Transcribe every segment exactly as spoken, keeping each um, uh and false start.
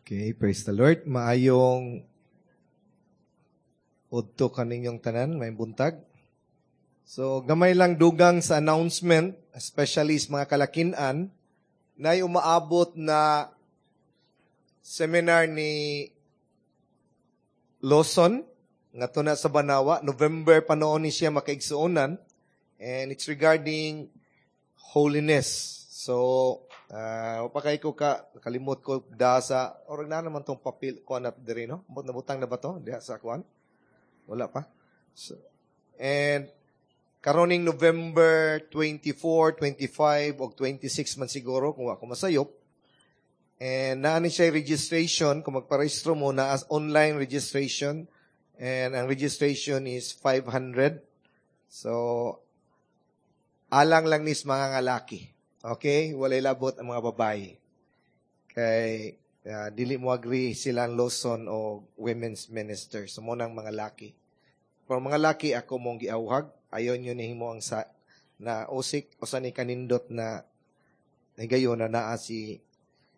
Okay, praise the Lord. Maayong udto kaninyong tanan, maayong buntag. So, gamay lang dugang sa announcement, especially sa mga kalakinan, na umaabot na seminar ni Lawson, nga na sa Banawa, November pa noon ni siya makaigsuonan, and it's regarding holiness. So, uh, pa kay ko ka kalimot ko da sa or na naman tong papel ko na diri no. Nabutang na ba to diha sa kuan? Wala pa. So, and karoning November twenty-four, twenty-five o twenty-six man siguro kung ako masayop. And naa ni siya registration kung magparehistro mo na as online registration and ang registration is five hundred. So alang lang nis mga ngalaki. Okay? Walay labot ang mga babae. Kay uh, dili mo agree silang Lawson o women's minister. So mo nang mga laki. Pero mga laki ako mong giawhag. Ayon yun nihimo ang sa na usik usa ni kanindot na higayon na naa si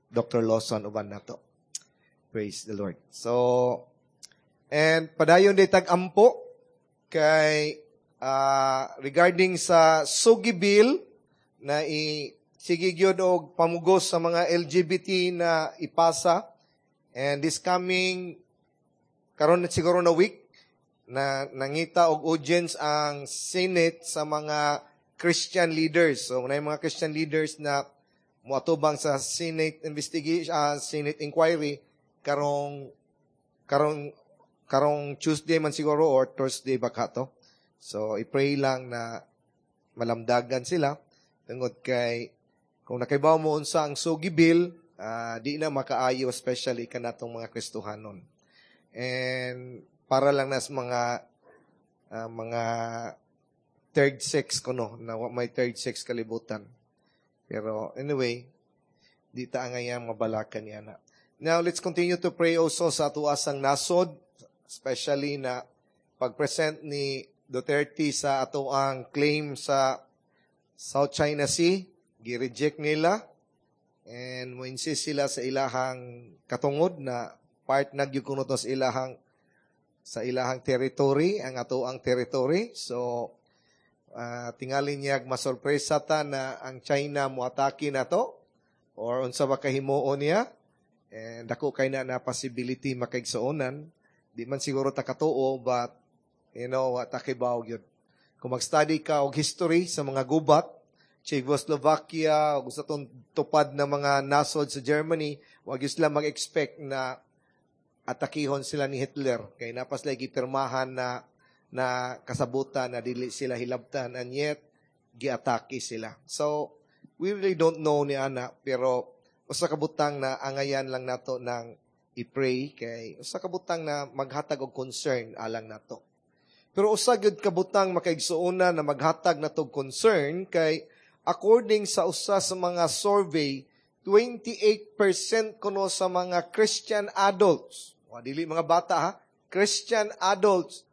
Doctor Lawson uban nato. Praise the Lord. So, and padayon di tag-ampo kay uh, regarding sa SOGIE Bill na i sige gyud og pamugos sa mga L G B T na ipasa and this coming karon siguro na week na nangita og audience ang Senate sa mga Christian leaders. So, na mga Christian leaders na moatubang sa Senate investigation, uh, Senate inquiry karong karong karong Tuesday man siguro or Thursday baka to. So, i-pray lang na malamdagan sila tungod kay kung nakaibaw mo unsa ang SOGIE Bill, uh, di na makaayo, especially kanatong mga Kristohanon. And para lang nas mga uh, mga third sex kuno na may third sex kalibutan. Pero anyway, di ta angayang mabalakan niya na. Now, let's continue to pray also sa atuasang nasod, especially na pag-present ni Duterte sa ato ang claim sa South China Sea, gi-reject nila and mo insist sila sa ilahang katungod na part na gyud kuno to sa ilahang sa ilahang territory, ang ato ang territory. So, uh, tingali niya masorpresa ta na ang China moatake na to or unsa ba kahimuon niya. And dako kay na na possibility, makaigsuonan. Di man siguro ta katuo, but you know, wa ta kibaw gyud. Kung mag-study ka og history sa mga gubat, Czechoslovakia, ug sa tong tupad na mga nasod sa Germany, wag sila mag-expect na atakihon sila ni Hitler. Kay napas lagi gipirmahan na na kasabutan na dili sila hilabtan and yet giatake sila. So, we really don't know ni ana, pero usa ka butang na angayan lang nato ng i-pray kay usa ka butang na maghatag og concern alang nato. Pero usa gyud ka butang, makaigsuonan, na maghatag nato og concern kay according sa usa sa mga survey, twenty-eight percent kuno sa mga Christian adults, wa dili mga bata ha, Christian adults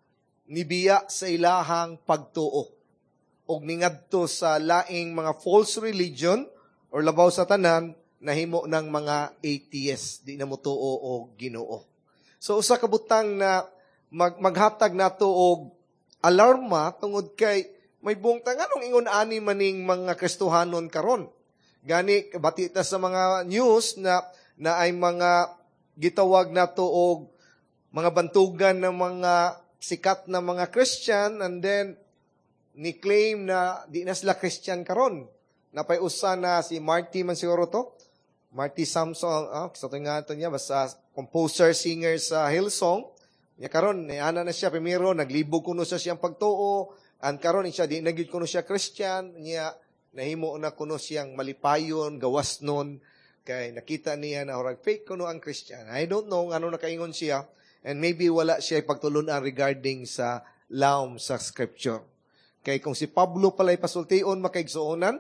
nibiya sa ilahang pagtuo og ningadto sa laing mga false religion or labaw sa tanan nahimo ng mga atheists, di na motuo og Ginoo. So usa ka butang na mag, maghatag nato og alarma tungod kay may buong tanganong ingon ani maning mga Kristohanon karon. Gani bati ta sa mga news na na ay mga gitawag nato og mga bantugan ng mga sikat na mga Christian and then ni claim na di na sila Christian karon. Napay usa na si Marty man siguro to. Marty Sampson, ah, sa nga to niya, basta composer, singer sa Hillsong. Niya karon, ni ana na siya, primero, naglibog kuno sa siyang pagtuo, and karon siya, di na gyud kuno siya Christian, niya, nahimo na kuno siyang malipayon, gawas nun, kay nakita niya na horag fake kuno ang Christian. I don't know ano nakaingon siya, and maybe wala siya pagtulunan regarding sa lawom sa scripture. Kay kung si Pablo pala'y pasultion, makaigsuonan,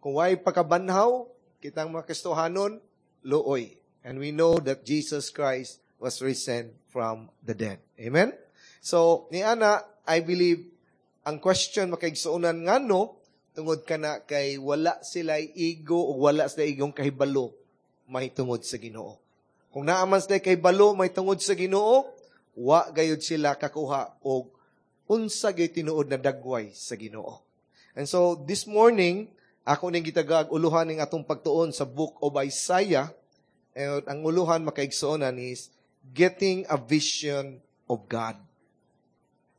kung way pagkabanhaw, kitang mga Kristohanon, luoy. And we know that Jesus Christ was risen from the dead. Amen? So, ni ana, I believe, ang question, makaigsuonan, ngano, tungod kana kay wala sila ego o wala sila igong kahibalo mahitungod sa Ginoo. Kung naa man sila kay balo may tungod sa Ginoo, wa gayud sila kakuha og unsa gyud tinuod na dagway sa Ginoo. And so this morning, ako ning gitagaag uluhan ning atong pagtuon sa book of Isaiah. And ang uluhan makaigsuonan is getting a vision of God.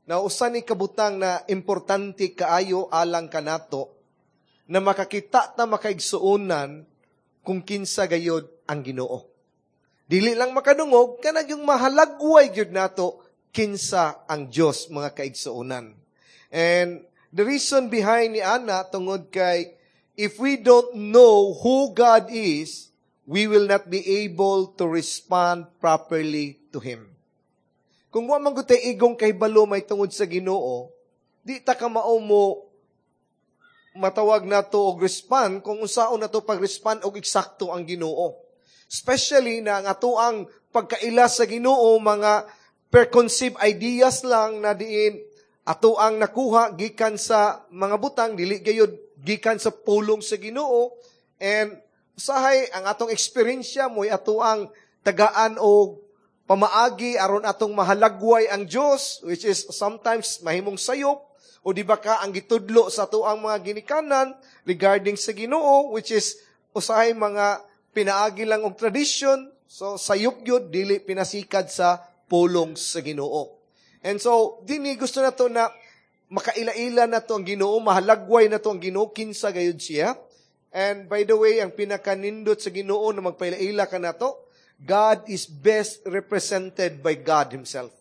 Now, usa ni kabutang na importante kaayo alang kanato na makakita ta makaigsuonan kung kinsa gayod ang Ginoo. Dili lang makadungog, kanang yung mahalagway gyud nato kinsa ang Dios mga kaigsuonan. And the reason behind ni ana tungod kay if we don't know who God is, we will not be able to respond properly to Him. Kung wa man gud tay igong kahibalo may tungod sa Ginoo, di ta ka mao mo matawag nato og respond kung unsaon nato pag-respond og eksakto ang Ginoo. Especially na ang ato ang pagkaila sa Ginoo mga preconceived ideas lang na diin ato ang nakuha gikan sa mga butang dili gayud gikan sa pulong sa Ginoo and usahay ang atong eksperyensya mo'y ato ang tagaan og pamaagi aron atong mahalagway ang Dios which is sometimes mahimong sayop o di ba ka ang gitudlo sa ato ang mga ginikanan regarding sa Ginoo which is usahay mga pinaagi lang og tradition so sayop gyud dili pinasikad sa pulong sa Ginoo and so dinhi gusto nato na makaila-ila na to ang Ginoo mahalagway na to ang Ginoo kinsa gayud siya and by the way ang pinakanindot sa Ginoo na magpaila-ila ka nato God is best represented by God Himself.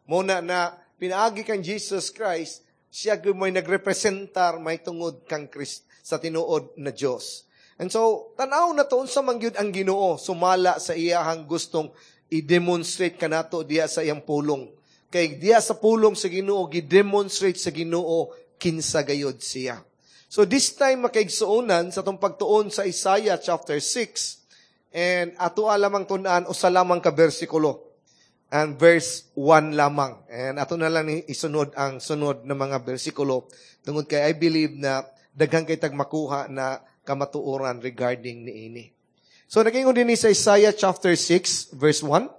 Muna na pinaagi kang Jesus Christ, siya gyud mo'y nagrepresentar may tungod kang Christ sa tinuod na Dios. And so, tanaw na to unsa man gyud ang Ginoo sumala sa iyahang gustong i-demonstrate kanato diya sa iyang pulong. Kay diya sa pulong sa Ginoo gi-demonstrate sa Ginoo kinsa gayod siya. So this time makaigsuonan sa atong pagtuon sa Isaiah chapter six and ato lamang tun-an usa lamang ka bersikulo and verse one lamang. And ato na lang isunod ang sunod na mga bersikulo tungod kay I believe na daghan kay tag makuha na kamatuoran regarding niini. So nag-ingon dinhi sa Isaiah chapter six verse one.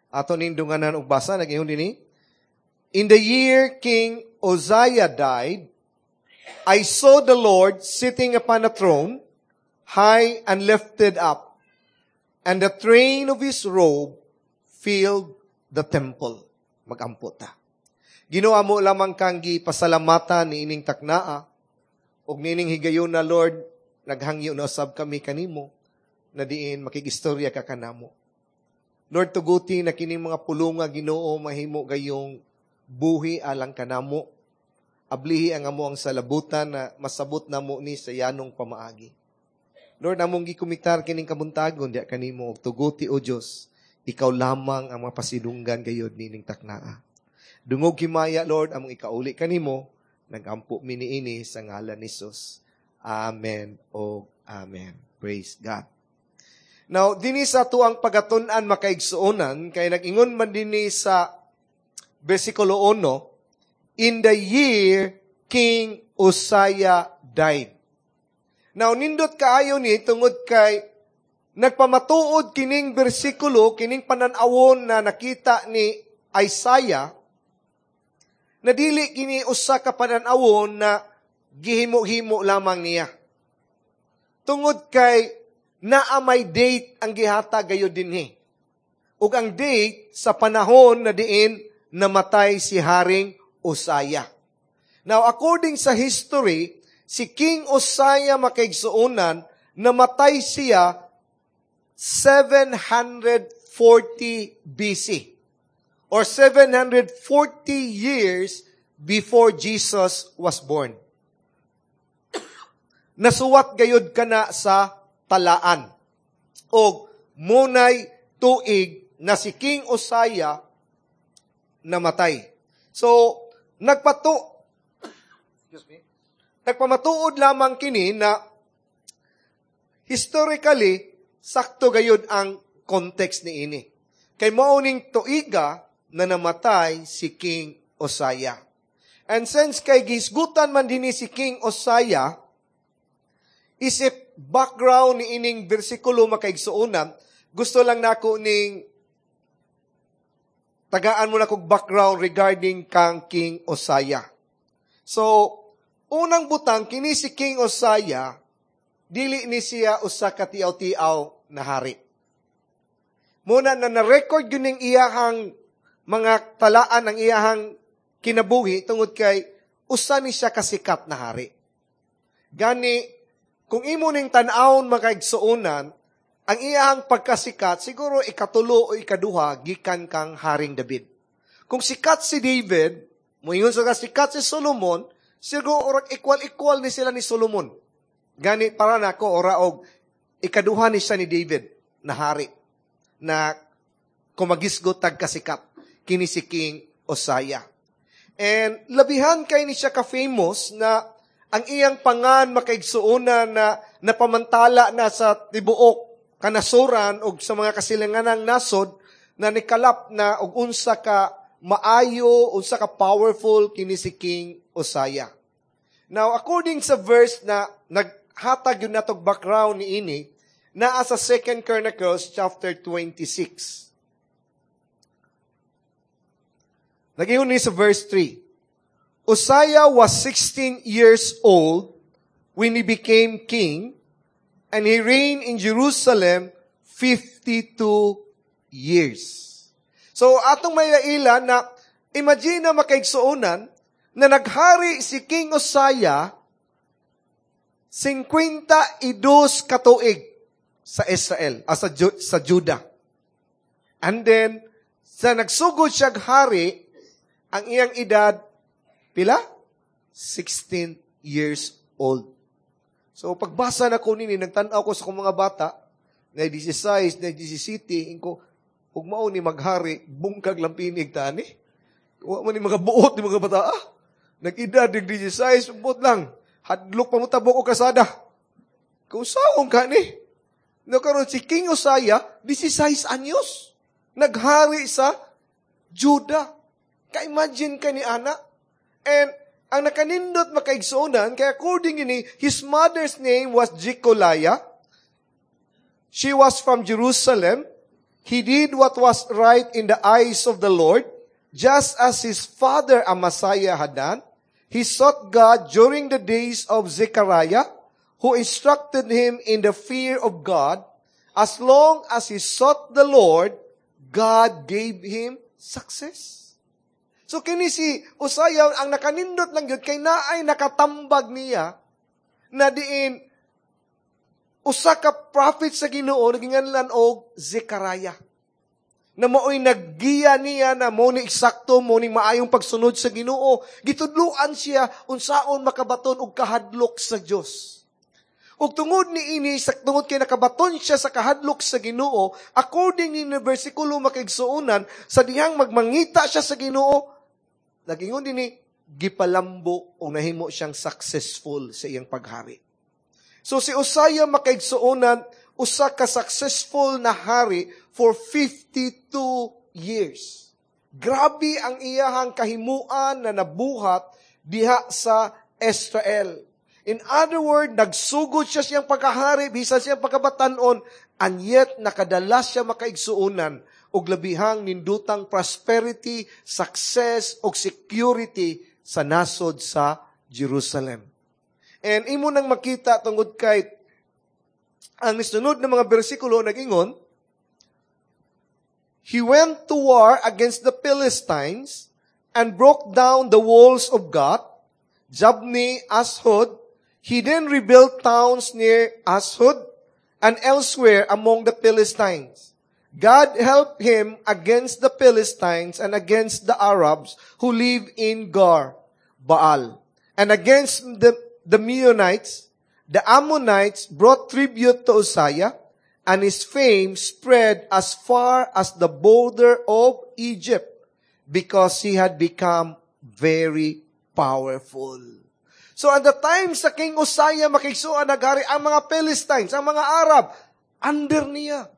Ato ning dunganan og basa nag-ingon dinhi. In the year King Uzziah died, I saw the Lord sitting upon a throne, high and lifted up, and the train of his robe filled the temple. Magampo ta. Ginoo amo lamang kang gipasalamatan niining taknaa ug niining higayon na Lord, naghangyo na usab kami kanimo na diin makigistorya ka kanamo. Lord, tuguti na kining mga pulunga Ginoo mahimo gayong buhi alang kanamo. Ablihi ang amo ang salabutan na masabot namo ni sa yanong pamaagi. Lord, among gikumitar kining kabuntagon diya kanimo og tuguti o Dios, ikaw lamang ang mapasidunggan gayod nining taknaa. Dungog himaya, Lord, among ikauli kanimo, nagampo mi niini sa ngalan ni Jesus. Amen o amen. Praise God. Now, dinhi sa atuang pagatun-an makaigsuonan, kay nag-ingon man dinhi sa versikulo one, in the year King Uzziah died. Now, nindot kaayo ni tungod kay nagpamatuod kining bersikulo, kining pananawon na nakita ni Isaiah, na dili kini usa ka pananawon na gihimo-himo lamang niya. Tungod kay naa may date ang gihatag gayud dinhi. Ug ang date sa panahon na diin namatay si Haring Uzziah. Now, according sa history, si King Uzziah makaigsuonan, namatay siya seven hundred forty B C or seven hundred forty years before Jesus was born. Nasuwat gayud kana sa talaan. Og munay tuig na si King Uzziah namatay. So, nagpatu Excuse me. Nagpamatuod lamang kini na historically sakto gayud ang context niini. Kay mao ning tuiga na namatay si King Uzziah. And since kay gisgutan man dinhi si King Uzziah, isip background ni ining bersikulo makaigsuonan, Gusto lang nako ning tagaan mo na kog background regarding kang King Uzziah. So, unang butang, kini si King Uzziah, dili ni siya usa ka tiaw-tiaw na hari. Muna na na-record yun yung iyahang mga talaan ang iyahang kinabuhi tungod kay usa ni siya kasikat na hari. Gani, kung imo ning tan-awon makaigsuonan, ang iyahang pagkasikat, siguro ikatulo o ikaduha, gikan kang Haring David. Kung sikat si David, moingon sa sikat si Solomon, siguro orag equal-equal ni sila ni Solomon. Gani, para nako ora og ikaduha ni siya ni David na hari, na kumagisgot tag kasikat, kini si King Uzziah. And labihan kay ni siya ka-famous na ang iyang pangan makaigsuonan na napamantala na sa tibuok kanasuran og sa mga kasilanganang nasod na nikalap na og unsa ka maayo, unsa ka powerful kini si King Uzziah. Now, according sa verse na naghatag yun natog background ni ini, naa sa Second Chronicles chapter twenty-six. Nag-ingon ni sa verse three. Uzziah was sixteen years old when he became king, and he reigned in Jerusalem fifty-two years. So, atong may naila na, imagine na makaigsuonan, na naghari si King Uzziah fifty-two katuig sa Israel, ah, sa, Ju- sa Judah. And then, sa nagsugod siyang hari, ang iyang edad, pila? sixteen years old. So, pagbasa na ko nini, nagtanaw ko sa kong mga bata, na sixteen, na seventeen, ko, ug mao ni maghari, bungkag lang pinig tani. Wa man ni mga buot ni mga bata. Ah. Nag-edad, nag sixteen, buot lang. Hadlok pa mo tabok o kasada. Kausawong ka ni. No, karon si King Uzziah, sixteen anyos. Naghari sa Judah. Ka-imagine ka ni Ana. And ang nakanindot makaigsuonan, kaya according ini, his mother's name was Jecoliah. She was from Jerusalem. He did what was right in the eyes of the Lord, just as his father Amaziah had done. He sought God during the days of Zechariah, who instructed him in the fear of God. As long as he sought the Lord, God gave him success. So kini si Uzziah ang nakanindot lang yun, kay naay nakatambag niya na diin usa ka prophet sa Ginoo naginganlan og Zechariah. Na mao'y naggiya niya na mo ni eksakto, mo ni maayong pagsunod sa Ginoo. Gitudluan siya unsaon makabaton og kahadlok sa Dios. Ug tungod ni ini, sa tungod kay nakabaton siya sa kahadlok sa Ginoo, according ni bersikulo makaigsuonan, sa dihang magmangita siya sa Ginoo, nagingon dinhi gipalambo o nahimo siyang successful sa iyang paghari. So si Uzziah makaigsuonan, usa ka successful na hari for fifty-two years. Grabe ang iyahang kahimuan na nabuhat diha sa Israel. In other words, nagsugod siya siyang pagkahari, bisan siyang pagkabatanon, and yet nakadala siya makaigsuonan og labihang nindutang prosperity, success, og security sa nasod sa Jerusalem. And imo nang makita tungod kay ang nisunod na mga bersikulo nag-ingon, he went to war against the Philistines and broke down the walls of Gath, Jabne, Ashdod. He then rebuilt towns near Ashdod and elsewhere among the Philistines. God helped him against the Philistines and against the Arabs who live in Gar, Baal, and against the, the Meunites. The Ammonites brought tribute to Uzziah, and his fame spread as far as the border of Egypt because he had become very powerful. So at the time sa King Uzziah makigsuan naghari ang mga Philistines, ang mga Arab, under niya.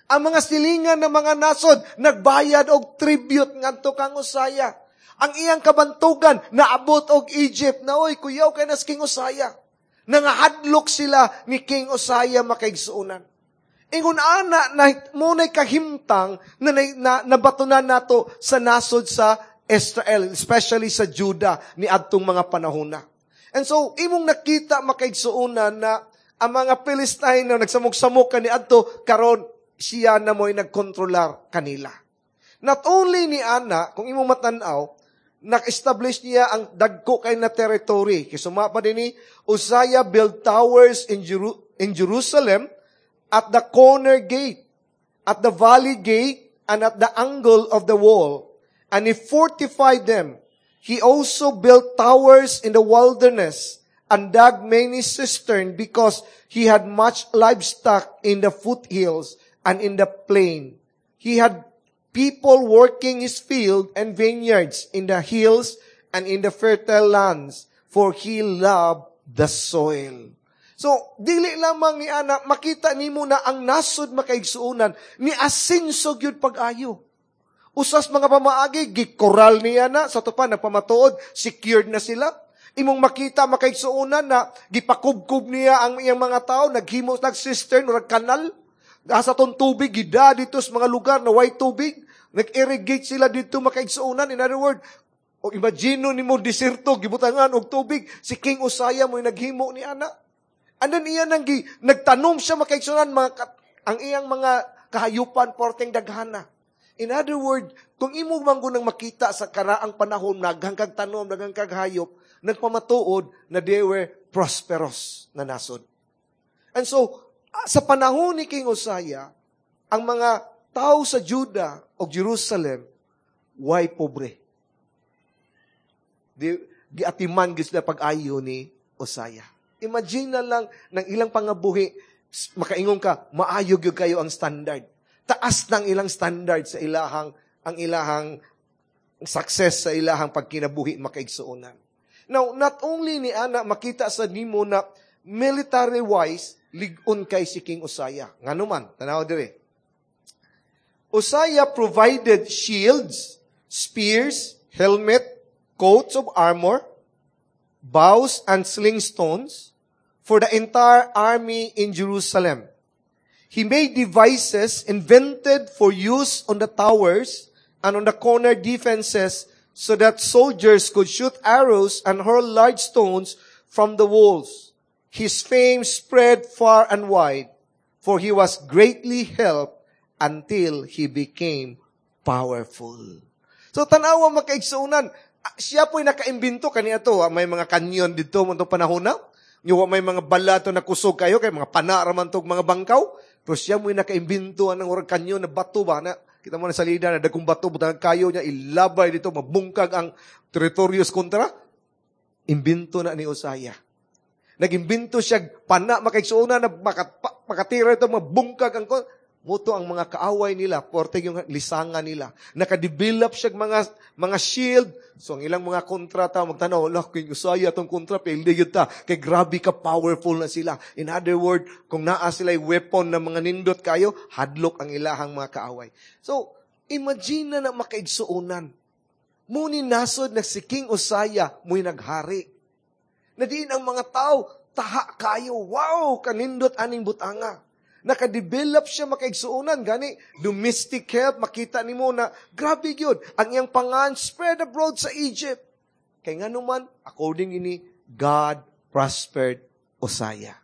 Ang mga silingan ng mga nasod, nagbayad og tribute ngadto kang Uzziah. Ang iyang kabantugan, naabot og Egypt, na oy, kuyaw kay nas King Uzziah. Nangahadlok sila ni King Uzziah makaigsuonan. Ingon ana na mao nay kahimtang na, na, na nabatunan nato sa nasod sa Israel, especially sa Judah ni adtong mga panahona. And so imong nakita, makaigsuonan, na ang mga Philistine na nagsamok-samok kani adto, karon siya na mo'y nagkontrolar kanila. Not only ni ana, kung imong matanaw, nag-establish niya ang dagko kay na territory. Kisuma pa din ni Uzziah built towers in, Jeru- in Jerusalem at the corner gate, at the valley gate, and at the angle of the wall. And he fortified them. He also built towers in the wilderness and dug many cisterns because he had much livestock in the foothills and in the plain. He had people working his field and vineyards in the hills and in the fertile lands, for he loved the soil. So, dili lamang ni ana, makita nimo na ang nasod, makaigsuonan, ni asinso gyud pag-ayo. Usas mga pamaagi, gikoral niya na, sa tupan, nagpamatuod, secured na sila. Imong makita, makaigsuonan, na gipakubkub niya ang iyang mga tao, naghimo nag cistern, o kanal. Asa tong tubig, gida dito sa mga lugar na way tubig. Nag-irrigate sila dito, makaigsuonan. In other words, o imagine nimo diserto, gibutangan og tubig. Si King Uzziah mo'y naghimo ni ana. And then iya nang gi, nagtanom siya, makaigsuonan, mga, ang iyang mga kahayupan porteng daghana. In other words, kung imo man nang makita sa karaang panahon, naghang kag tanom, naghang kag hayop, nagpamatuod na they were prosperous na nasod. And so, sa panahon ni King Uzziah, ang mga tao sa Judah o Jerusalem, way pobre. Di, giatiman gid sila pag-ayo ni Uzziah. Imagine na lang ng ilang pangabuhi, makaingon ka, maayo gyud kayo ang standard. Taas ng ilang standard sa ilahang, ang ilahang success sa ilahang pagkinabuhi, makaigsuonan. Now, not only ni ana, makita sa nimo na military-wise, ligon kay si King Uzziah. Ngano man, tanaw dire. Uzziah provided shields, spears, helmet, coats of armor, bows and sling stones for the entire army in Jerusalem. He made devices invented for use on the towers and on the corner defenses so that soldiers could shoot arrows and hurl large stones from the walls. His fame spread far and wide, for he was greatly helped until he became powerful. So tanawa, makaigsuonan, siya po'y nakaimbento kaniya to. May mga kanyon dito mo panahon na. Yung may mga balato na kusog kayo, kay mga pana raman to mga bangkaw. Pero siya mo'y nakaimbento ang urag kanyon na bato ba na kita mo na salida na dagkong bato, butang kayo niya, ilabay dito, mabungkag ang teritoryos kontra. Imbento na ni Uzziah. Nagimbento siya, pana, makaigsuonan na makat, makatira ito, mabungkag ang muto ang mga kaaway nila, porte yung lisangan nila. Nakadevelop siya mga mga shield. So ang ilang mga kontrata magtanaw, "Lah, King Uzziah tong kontra, pildi gyud ta kay grabe ka powerful na sila." In other word, kung naa sila weapon na mga nindot kayo, hadlok ang ilahang mga kaaway. So, imagine na na makaigsuonan. Muni nasod na si King Uzziah mo'y naghari. Na diin ang mga tao, taha kayo, wow, kanindot aning butanga. Nakadevelop siya, makaigsuonan. Gani, domestic help, makita nimo na, grabe gyud. Ang iyang pangan, spread abroad sa Egypt. Kay nga naman, according ini, God prospered Uzziah.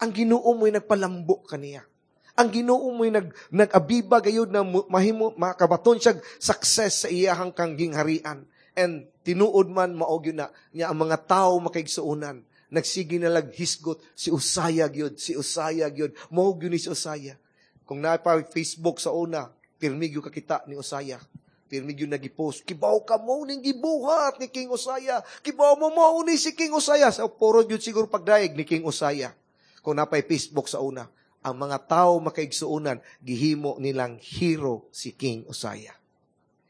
Ang Ginoo mo'y nagpalambo kaniya. Ang Ginoo mo'y nag, nag-abiba gayud na mahimo, makabaton siya success sa iyahang kanggingharian. And tinuod man mao gyud na niya ang mga tao, makaigsuonan, nagsige na lag hisgot, si Uzziah gyud, si Uzziah gyud, mao gyud ni si Uzziah. Kung naa pa Facebook sa una, pirmi gyud kakita ni Uzziah. Pirmi gyud nagipost, "Kibaw ka mo ning gibuhat ni King Uzziah. Kibaw mo mao ni si King Uzziah." So, puro gyud siguro pagdaig ni King Uzziah. Kung napay Facebook sa una, ang mga tao, makaigsuonan, gihimo nilang hero si King Uzziah.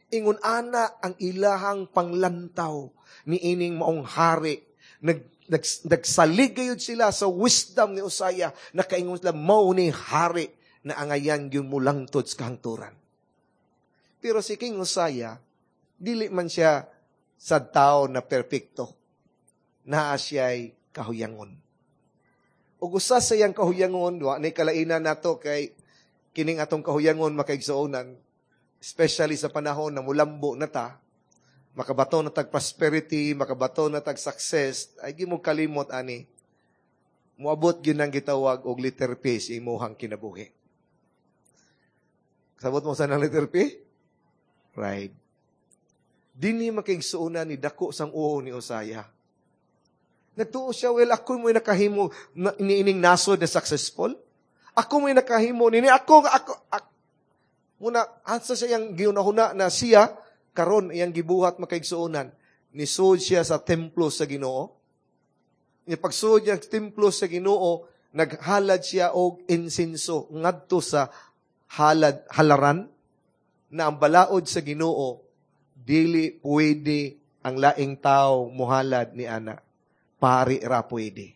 Ingon ana ang ilahang panglantaw ni ining maong hari. Nag, nag, nagsalig gayud sila sa wisdom ni Uzziah. Nakaingon sila, mao ni hari na angayan yung mulangtod sa kahangturan. Pero si King Uzziah, dili man siya sa tao na perpekto. Naa siya'y kahuyangon. Ug usa sa iyang kahuyangon, wa ni kalainan nato kay kining atong kahuyangon makaigsuonan, especially sa panahon na mulambo na ta, makabato na tag prosperity, makabato na tag success, ay gi mo kalimot ani. Muabot gyud nang gitawag og letter P sa imuhang kinabuhi. Sabot mo sa nang letter P? Pride. Dinhi makaigsuonan ni dako sang uo ni Uzziah. Nagtuo siya, well, ako mo'y nakahimo na, iniining nasod na successful. Ako mo'y nakahimo nini. Ako, ako, ako. Muna, asa siya yung giunahuna na siya, karon iyang gibuhat makaigsuonan. Nisud siya sa templo sa Ginoo. Ni pagsud niya sa templo sa Ginoo, naghalad siya og insenso ngadto sa halad halaran na ang balaod sa Ginoo dili pwede ang laing tao muhalad ni ana. Pari ra pwede.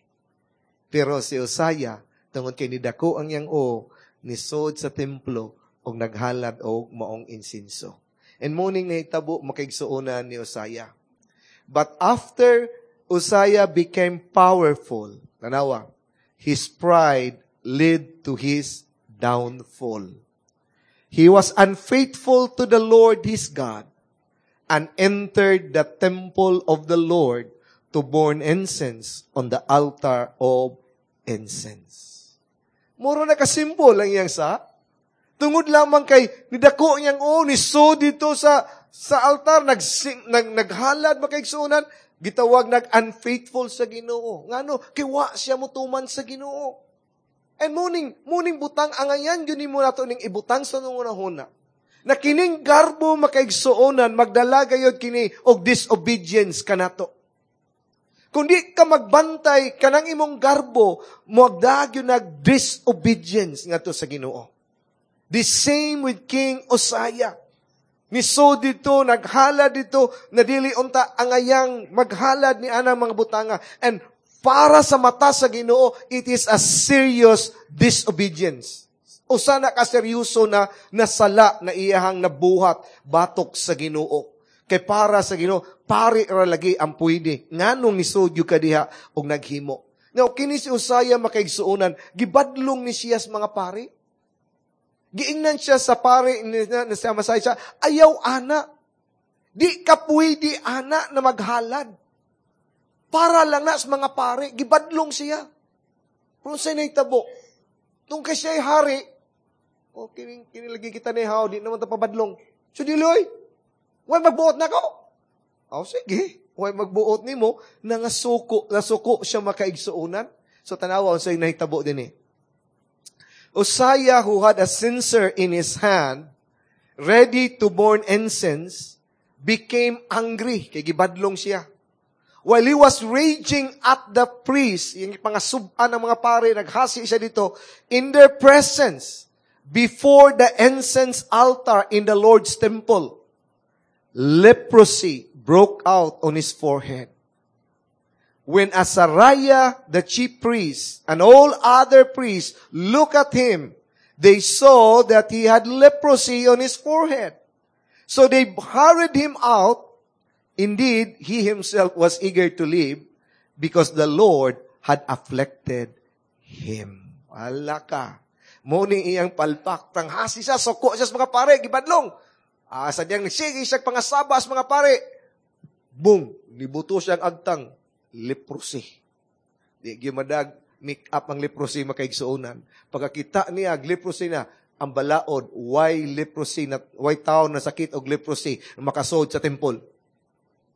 Pero si Uzziah, tungod kay nidako ang iyang o, nisod sa templo og naghalad og maong insenso. And morning nahitabo makaigsuonan ni Uzziah. But after Uzziah became powerful, tanawa, his pride led to his downfall. He was unfaithful to the Lord his God and entered the temple of the Lord to burn incense on the altar of incense. Muro na kasimple ang iyang sa. Tungod lamang kay nidako niyang o ni so dito sa sa altar nag, nag naghalad makaigsuonan gitawag nag unfaithful sa Ginoo. Ngano kay wa siya motuman sa Ginoo. And muning muning butang angayan gyud nimo nato ning ibutang sa nungunahuna. Na kining garbo makaigsuonan magdala gayod kini og disobedience kanato. Kung di ka magbantay kanang imong garbo, moagdag yun nag disobedience ngadto sa Ginoo. The same with King Uzziah. Niso dito, naghalad dito, na dili unta angayang maghalad ni anang mga butanga. And para sa mata sa Ginoo, it is a serious disobedience. Usa na ka seryoso na nasala na iyahang nabuhat batok sa Ginoo. Kay para sa Ginoo, pari ra lagi ang pwede. Nganong nisud ka diha og naghimo. Now, kini si Uzziah makaigsuonan, gibadlong ni siya sa mga pari. Giingnan siya sa pari na, na siya masay siya, ayaw ana. Di ka pwede ana na maghalad. Para lang na sa mga pari, gibadlong siya. Kung sa'yo nahitabo, tung kay siya'y hari, o kining, kinilagi kita ni How, di naman ta pabadlong. So diloy, way magbuot na ko. Oh, sige. Way magbuot nimo na nga suko, nasuko siya makaigsuonan. So tanawa unsay nahitabo din eh. Uzziah who had a censer in his hand, ready to burn incense, became angry. Kay gibadlong siya. While he was raging at the priest, yung pangasub-an ng mga pare, naghasi siya dito, in their presence, before the incense altar in the Lord's temple, leprosy broke out on his forehead. When Azariah, the chief priest, and all other priests looked at him, they saw that he had leprosy on his forehead. So they hurried him out. Indeed, he himself was eager to leave because the Lord had afflicted him. Wala ka. Mo ni iyang palpak. Tanghasi siya, suko siya sa mga pare, gibadlong. Ah, sadyang nagsige siya pangasaba sa mga pare. Boom, nibuto siyang agtang leprosy. Di gimadag make up ang leprosy makaigsuonan. Pagkakita niya leprosy na ang balaod, why leprosy na why taon na sakit og leprosy makasod sa temple.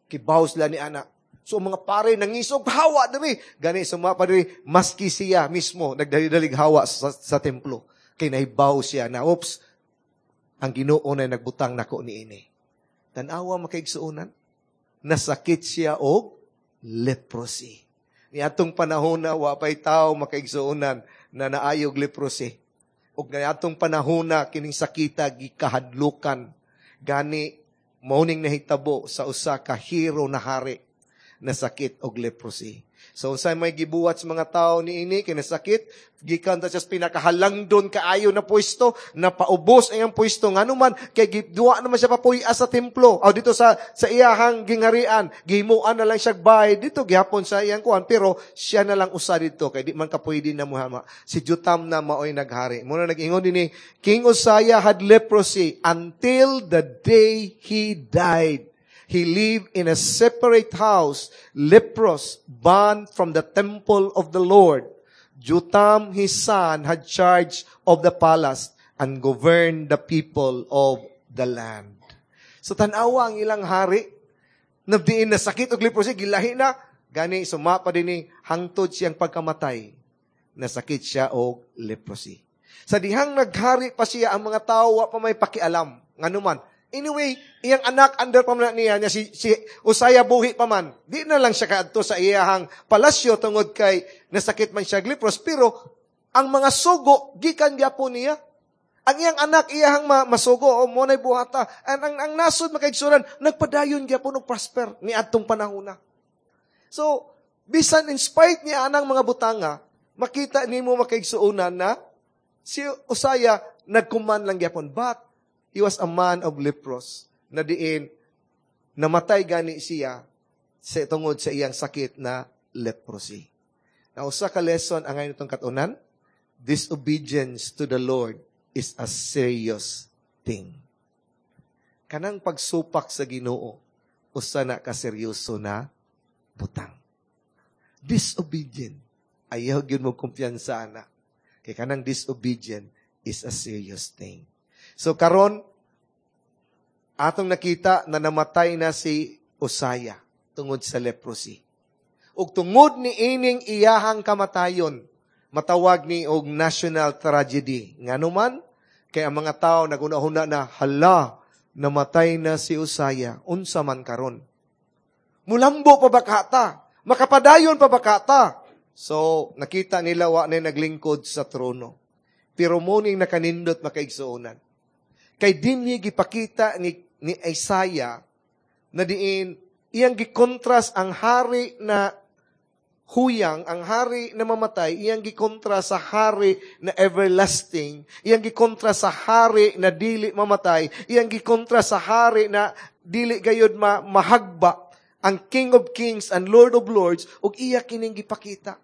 Kibaw sila ni ana. So ang mga pare nangisog hawa diri. Gani suma pa diri maski siya mismo nagdali-dalig hawa sa, sa templo. Kay nahibaw siya na oops ang Ginoo na nagbutang nako niini. Tan-awa makaigsuonan. Nasakit siya og leprosy. Ni atong panahon na wa pay tao makaigsuonan na naayog leprosy. Ug atong panahon na kining sakita gikahadlukan. Gani mao ning nahitabo sa usa ka hero na hari na sakit og leprosy. So unsay may gibuhat sa mga tao niini kay nasakit, gikan ta siya sa pinakahalangdon kaayo na pwesto, napaubos ang iyang pwesto, ngano man kay giduwa naman siya papuy-a sa templo o dito sa sa iyahang gingarian, gihimuan na lang siya bahay dito gihapon sa iyang kuan, pero siya na lang usa dito kay di man ka pwede na muhama. Si Jotam na maoy naghari. Muna nag-ingon dinhi, King Uzziah had leprosy until the day he died. He lived in a separate house, leprous, banned from the temple of the Lord. Jotam, his son, had charge of the palace and governed the people of the land. So tanawa ang ilang hari, nabdiin na sakit og leprosy, gilahi na, gani suma pa dinhi hangtod siyang pagkamatay, nasakit siya og leprosy. Sa dihang naghari pa siya, ang mga tao wa pa may pakialam. Nganuman, anyway, iyang anak under pa man niya, niya si, si Uzziah buhi pa man. Di na lang siya kaadto sa iyahang palasyo tungod kay nasakit man siya lepros, pero ang mga sugo gikan gyapon niya. Ang iyang anak iyahang ma- masugo o mo nay buhata. Ang, ang, ang nasod, makaigsuonan, nagpadayon gyapon og prosper ni adtong panahona. So, bisan in spite niya anang mga butanga, makita nimo, makaigsuonan, na si Uzziah nagkuman lang gyapon. But he was a man of leprous na diin namatay gani siya sa tungod sa iyang sakit na leprosy. Na usa ka lesson ang ngayon itong katunan, disobedience to the Lord is a serious thing. Kanang pagsupak sa Ginoo, usa na ka seryoso na butang. Disobedient. Ayaw gyud mo kumpiyansa ana. Kay kanang disobedient is a serious thing. So karon atong nakita na namatay na si Uzziah tungod sa leprosy. Ug tungod ni ining iyahang kamatayon, matawag ni og national tragedy. Ngano man, kay ang mga tao naguna-huna na, "Hala, namatay na si Uzziah, unsa man karon? Mulambo pa ba kata? Makapadayon pa ba kata?" So, nakita nila wa na naglingkod sa trono. Pero muning nakanindot, makaigsuonan. Kay dinhi gipakita ni, ni Isaiah na diin iyang gikontras ang hari na huyang, ang hari na mamatay, iyang gikontra sa hari na everlasting, iyang gikontra sa hari na dili mamatay, iyang gikontra sa hari na dili gayud ma mahagba, ang King of Kings and Lord of Lords, ug iya kining gipakita.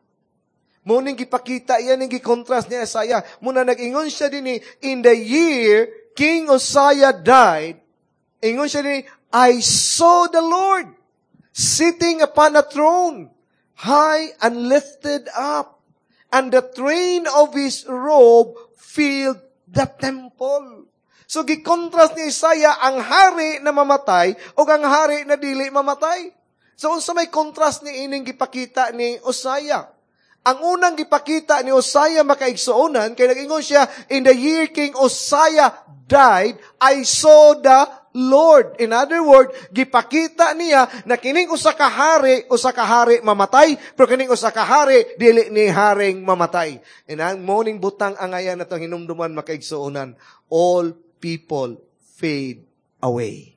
Mo ning gipakita, iya ning gikontrast ni Isaiah. Muna nag-ingon siya dinhi, in the year King Uzziah died, ingon siya dinhi, "I saw the Lord sitting upon a throne, high and lifted up, and the train of his robe filled the temple." So gikontrast ni Isaiah ang hari na mamatay o ang hari na dili mamatay. So unsa may contrast ni ining gipakita ni Uzziah? Ang unang gipakita ni Uzziah, makaigsuonan, kay nag-ingon siya, "In the year King Uzziah died, I saw the Lord." In other words, gipakita niya na kining usa ka hari, usa ka hari mamatay, pero kining usa ka hari, dili ni haring mamatay. And ang morning butang angayan na itong hinumduman, makaigsuonan, all people fade away.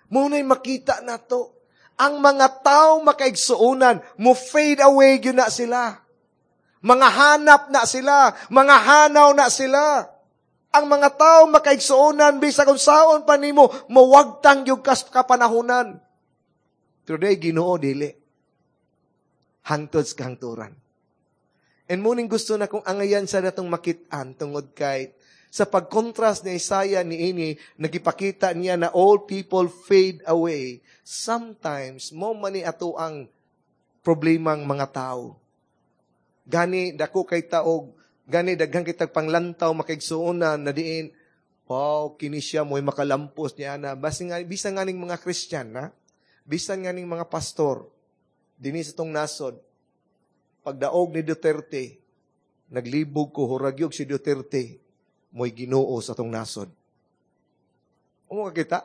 Muna'y makita na to. Ang mga tao, makaigsuonan, mo fade away gyud na sila. Mga hanap na sila, mga hanaw na sila. Ang mga tao, makaigsuonan, bisag unsaon pa nimo, mawagtang gyud kas kapanahonan. Pero day Ginoo dili. Hangtod sa kahangturan. And muning gusto na kong angayan sa datong makit-an tungod kay sa pag-contrast ni Isaiah ni ini, nagipakita niya na all people fade away. Sometimes, mo man ni ato ang problemang mga tao. Gani, dako kay taog, gani, daghan kitag panglantaw, makaigsuonan, na diin, wow, kini siya mo'y makalampos niya na. Basta nga, bisan nga ning mga Christian, na? Bisan nga ning mga pastor, dinhi sa tong nasod, pagdaog ni Duterte, naglibog ko, huragyog si Duterte, mo'y Ginoo sa tong nasod. Umo ka kita?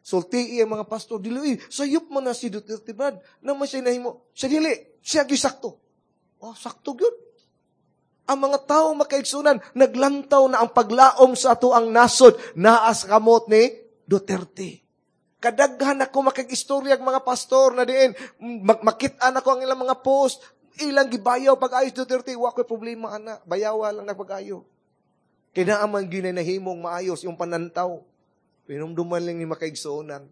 Sulti ang mga pastor, dili, eh, sayop man na si Duterte, Brad. Naman siya nahimo. Siya dili, siya gisakto. Oh, sakto gyud. Ang mga tao, makaigsuonan, naglantaw na ang paglaom sa ato ang nasod, naa sa kamot ni Duterte. Kadaghan ako makag-istorya mga pastor na diin, makita na ko ang ilang mga post, ilang gibayaw pag-ayos Duterte, wa ko'y problema ana, bayawa lang na pag-ayo. Kaya naaman gyud nahimong maayos yung panantaw. Pinumduman lang ni makaigsuonan.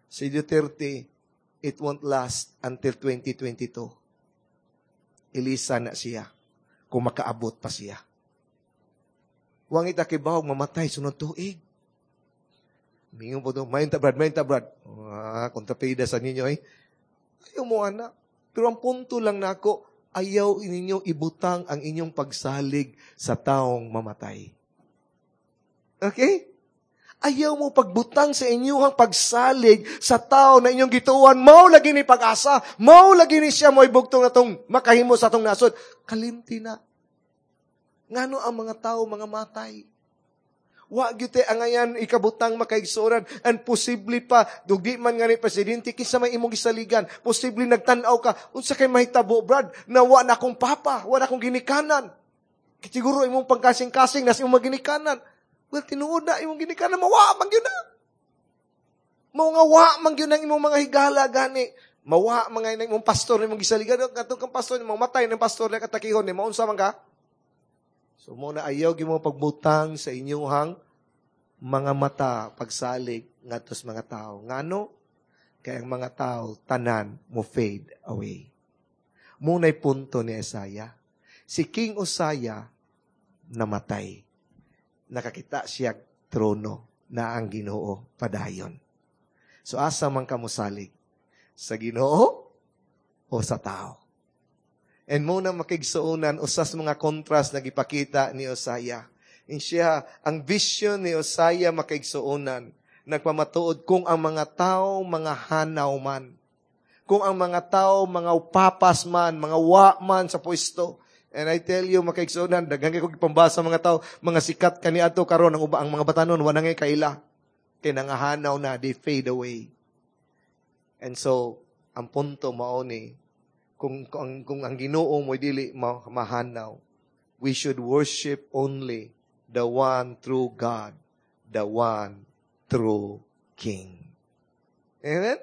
Si Duterte, it won't last until twenty twenty-two. Ilisa na siya kung makaabot pa siya. Wang ita kibawog mamatay sunod tuig. Mingon po to, "Mayon ta, Brad, mayon ta, Brad." Ah, kontrapida sa ninyo eh. Ayaw mo, anak. Pero ang punto lang nako, ayaw ninyo ibutang ang inyong pagsalig sa taong mamatay. Okay? Ayaw mo pagbutang sa inyong pagsalig sa tao na inyong gituan. Mao lagi ni pag-asa. Mao lagi ni siya mo ibugtong na tong makahimo sa atong nasod. Kalimti na. Ngano ang mga tao mga matay? Wa gyud angayan ikabutang, makaigsuonan, and posible pa dugi man nga ni presidente, kinsa may imong gisaligan? Posible nagtan-aw ka, "Unsa kay mahitabo, Brad, na wa na akong papa, wa na akong ginikanan?" Siguro imong pagkasing-kasing nas imong ginikanan. Well, tinuod na imong ginikanan, mawa man gyud na. Mao nga wa man gyud ang imong mga higala gani. Mawa man nga imong pastor imong gisaligan, kadtong kang pastor imong matay ng pastor na katakihon ni maunsa man ka? So mo na ayaw gyud mo pagbutang sa inyong mga mata pagsalig ngadto sa mga tao. Ngano? Kay ang mga tao tanan mo fade away. Muna'y punto ni Isaiah. Si King Uzziah namatay. Nakakita siya trono na ang Ginoo padayon. So asa man ka mosalig? Sa Ginoo o sa tao? And muna makigsuonan, usas mga contrast na gipakita ni Uzziah. In siya, ang vision ni Uzziah, makigsuonan, nagpamatuod kung ang mga tao mga hanaw man, kung ang mga tao mga papas man, mga wa man sa pwesto. And I tell you, makaigsuonan, daghan kay kog ipambasa mga tao, mga sikat kaniadto karon ang uba ang mga batanon wa na ngay kaila. Kay nangahanaw na, they fade away. And so, ang punto mao ni kung kung, kung ang Ginoo mo dili mahanaw, we should worship only the one true God, the one true King. Amen?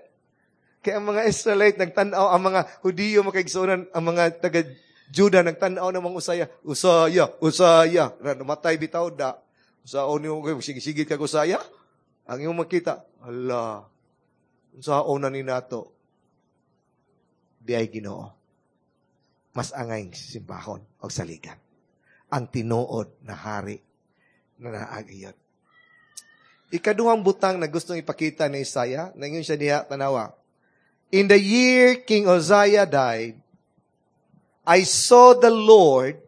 Kaya ang mga Israelite nagtan-aw, ang mga Hudiyo, makaigsuonan, ang mga taga Juda nagtan-aw ng mga Uzziah, "Uzziah, Uzziah," na namatay bitaw da. Unsaon nimo sige-sige kag Uzziah? Ang imong makita, "Hala, unsaon na ni nato?" Di ay Ginoo. Mas angay simbahon og saligan. Ang tinuod na hari na naagiyot. Ikaduhang butang na gustong ipakita ni Isaiah, nangyun siya diha, tanawa. "In the year King Uzziah died, I saw the Lord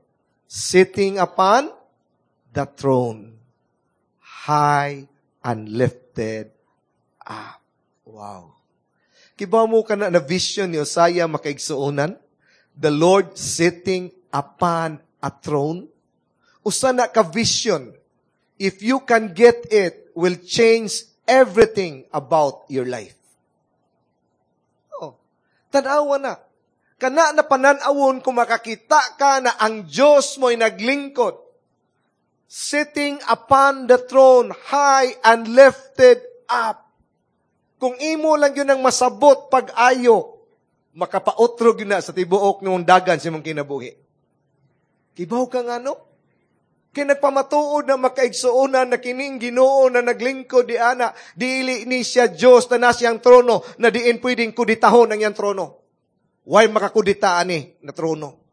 sitting upon the throne, high and lifted up." Wow. Kibaw mo ka na na vision ni Uzziah, makaigsuonan? The Lord sitting upon a throne. Usa na ka vision. If you can get it, will change everything about your life. Oh. Tanawa na. Kana na pananawon kung makakita ka na ang Diyos mo'y naglingkod. Sitting upon the throne, high and lifted up. Kung imo lang yun ang masabot pag-ayo, makapaotro gyud na sa tibuok ng dagan sa imong kinabuhi. Kibaw ka nga no? Kay nagpamatuod na, makaigsuonan, na kining Ginoo na naglingkod di ana, dili ni siya Dios na nasiyang trono na diin pwedeng kuditahon ang iyang trono. Way makakudita ani na trono?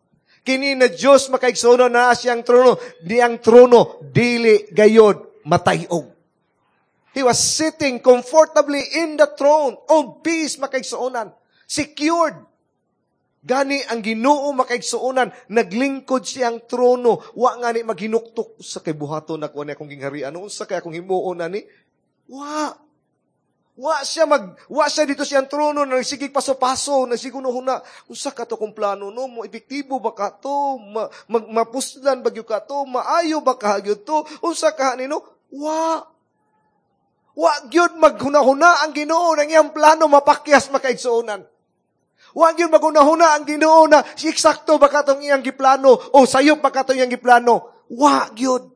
Kini na Dios, makaigsuonan, na siyang trono, di ang trono dili gayod matayog. He was sitting comfortably in the throne of peace, makaigsuonan. Secured. Gani ang Ginoo, makaigsuonan, naglingkod siyang trono, wa nga ni maghinuktok sa kay buhaton nako ani akong gingharian, unsa kay akong himuon ani? Wa. Wa siya mag wa siya dito siyang trono na nagsigig paso-paso, nagsiguno-huna, "Unsa ka to kong plano no, mo epektibo ba ka to, ma, mag, mapuslan ba gyud ka to, maayo ba ka gyud to, unsa ka nino?" Wa. Wa gyud maghuna-huna ang Ginoo nang iyang plano mapakyas, makaigsuonan. Wa gyud maghuna-huna ang Ginoo na si eksakto ba katong iyang giplano o sayop ba katong iyang giplano. Wa gyud.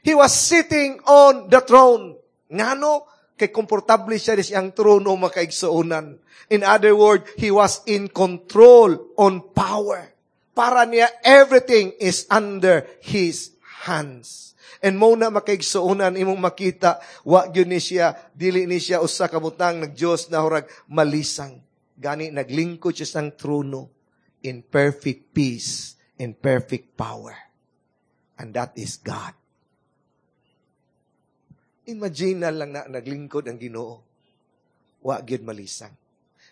He was sitting on the throne. Ngano? Kay komportable siya sa iyang trono makaigsuonan. In other words, he was in control on power. Para niya, everything is under his hands. And mo na makaigsuonan imong makita, wa gyud ni siya, dili ni siya usa ka butang nag Dios na hurag malisang. Gani naglingkod siya sang trono in perfect peace, in perfect power. And that is God. Imagine na lang na naglingkod ang Ginoo. Wa gyud malisang.